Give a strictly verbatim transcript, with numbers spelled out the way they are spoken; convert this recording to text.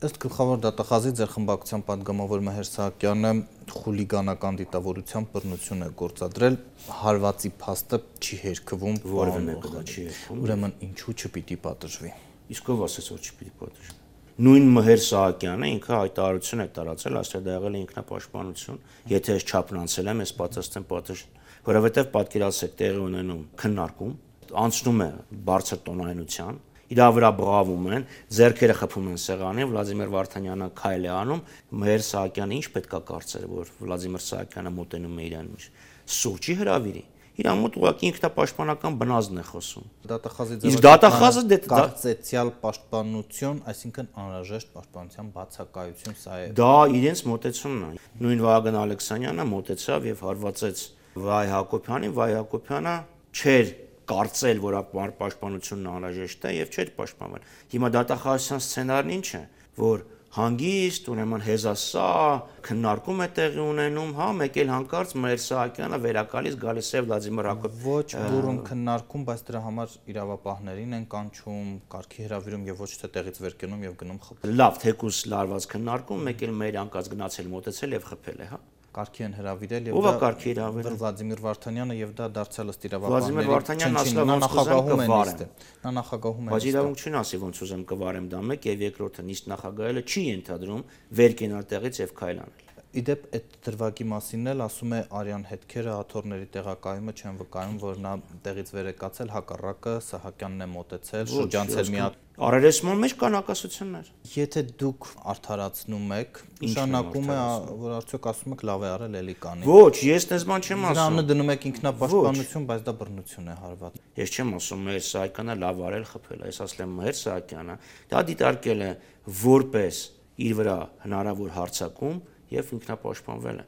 Ըստ գլխավոր դատախազի ձեր խմբակցության պատգամավոր Մեհեր Սահակյանը խուլիգանական դիտավորությամբ բռնություն է գործադրել, հարվածի փաստը չի հերքվում, որևէ մեկը չի հերքում։ Ուրեմն ինչու չպիտի պատժվի։ Իսկ ով ասաց, որ չպիտի պատժվի։ Նույն Մեհեր Սահակյանը ինքը հայտարարություն է տարածել, ասել դա եղել է ինքնապաշտպանություն, եթե ես չափնանցել եմ, ես պատասխան պատժեմ, որովհետև պատկերացրեք տեղի ունենում քննարկում, անցնում է բարձր տոնայնության, իրա վրա բղավում են, ձեռքերը խփում են սեղանին, Վլադիմիր Վարդանյանը քայլ է անում, Մեհեր Սահակյանը ինչ պետք է կարծեր, որ Վլադիմիր Սահակյանը մոտենում է իրան ինչ, սուրճի հրավիրի, իրան մոտ ուղղակի ինքնապաշտպանական բնազդն է խոսում։ Դատախազի Իսկ դատախազը կարծեցյալ պաշտպանություն, այսինքն անհրաժեշտ պաշտպանության բացակայություն, սա է։ Դա իրենց մոտեցումն է։ Նույն Վահագն Ալեքսանյանը մոտեցավ եւ հարվածեց Վահե Հակոբյանին, Վահե Հակոբյանը չէր կարծել, որ պաշտպանությունն անհրաժեշտ է եւ չէր պաշտպանվել։ Հիմա դատախազության սցենարն ինչ է, որ հանգիստ, ուրեմն հեզասա քննարկում է տեղի ունենում, հա, մեկ էլ հանկարծ Մեհեր Սահակյանը վերակալից գալիս է Վլադիմիր Հակոբյանը։ Ոչ բուրըն քննարկում, բայց դրա համար իրավապահներին են կանչում, կարգի հրավիրում եւ ոչ թե տեղից վեր կենում եւ գնում խփում։ Լավ, թեկուս լարված քննարկում, մեկ էլ մեր անկած գնացել մոտեցել եւ խփել է, հա։ Կարգի են հրավիրել եւ դա կարգի հրավիրել Վլադիմիր Վարդանյանը եւ դա դարձյալ ըստ Վլադիմիր Վարդանյանն ասել ոնց նախագահում է նիստը։ Նա նախագահում է։ Բայց իրավունք չունի ասի ոնց ուզեմ կվարեմ դա մեկ եւ երկրորդը նիստ նախագահելը չի ենթադրում վեր կենալ տեղից եւ քայլ անել։ Իդեպ այդ դրվագի մասինն էլ ասում է Արյան հետքերը աթոռների տեղակայումը չեն վկայում, որ նա տեղից վեր է կացել, հակառակը Սահակյանն է մոտեցել, շրջանցել մի հատ Արարեսման մեջ կան ակասություններ։ Եթե դուք արդարացնում եք, նշանակում է, որ արդյոք ասում եք լավ է արել, էլի կանի։ Ոչ, ես դες բան չեմ ասում։ Դրանը դնում եք ինքնապաշտպանություն, բայց դա բռնություն է հարված։ Ես չեմ ասում Մեհեր Սահակյանը լավ արել խփել, ես ասել եմ Մեհեր Սահակյանը դա դիտարկել է որպես իր վրա հնարավոր հարձակում եւ ինքնապաշտպանվել է։